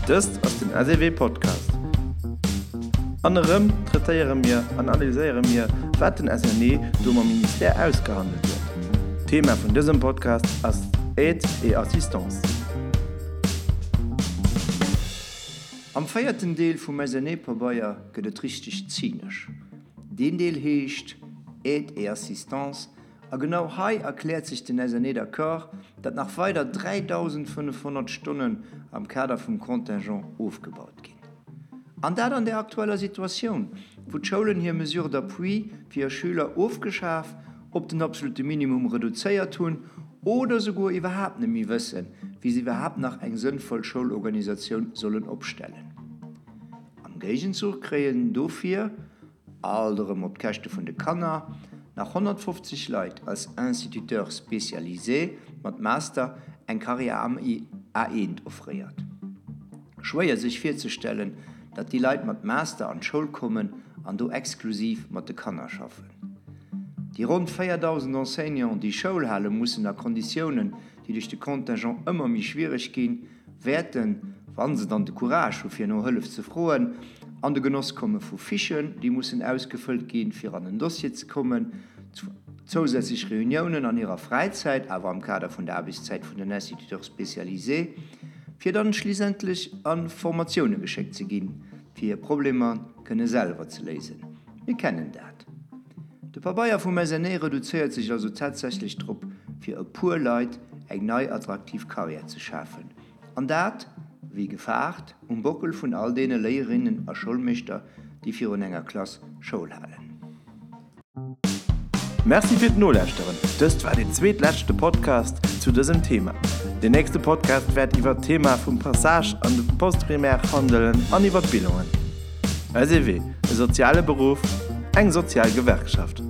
Dëst ass den SEW Podcast. An erëm traitéiere mir an analyséiere mir, wat den SNE do mam Ministère ausgehandelt huet. D'Thema vun dësem Podcast ass Aide et Assistance. Am véierten Deel vum SNE-Pabeier gëtt et richteg zynesch. Deen Deel heescht Aide et Assistance A genau hei erkläert sech den SNE d'accord, datt nach weider 3.500 Stonnen am Kader vum Contingent ofgebaut ginn. An dat an der aktueller Situatioun, wou d'Schoulen hir Mesures d'appui fir hir Schüler ofgeschaf, op den absolute Minimum reduzéiert hunn oder souguer iwwerhaapt net méi wëssen, wéi se iwwerhaapt nach eng sënnvoll Schoulorganisatioun sollen opstellen. Am Géigenzuch kréien dofir alt erëm op d'Käschte vun de Kanner, nach 150 Leit als Instituteur spécialisé mat Master eng Karriär am A1 offréiert. Schwéier sech virzestellen, datt déi Leit mat Master an d'Schoul kommen an do exklusiv mat de Kanner schaffen. Déi ronn 4.000 Enseignants, déi Schoul hale mussen a Konditiounen, déi duerch de Contingent ëmmer méi schwiereg ginn, wäerten, wa se dann de Courage hu fir no Hëllef ze froen, an de Genoss komme vu Fichen, déi mussen ausgefëllt ginn, fir an en Dossier ze kommen, zousätzlech Reuniounen an hirer Fräizäit, awer am Kader vun der Aarbechtszäit vun den Instituteurs spécialisés, fir dann schliissendlech a Formatioune geschéckt ze ginn, fir hir Problemer kënne selwer ze léisen. Mir kennen dat. De Pabeier vum SNE reduzéiert sech also tatsächlech drop, fir e puer Leit eng nei attraktiv Karriär ze schafen. An dat, wéi gefaart, um Bockel vun all deene Léierinnen a Schoulmeeschter, déi virun enger Klass Schoul halen. Merci fir d'Nolauschteren. Dëst war deen zweetleschte Podcast zu dësem Thema. Deen nächste Podcast wäert iwwert d'Thema vum Passage an de Postprimaire handelen an iwwer d'Bilangen. SEW, e soziale Beruff, eng sozial Gewerkschaft.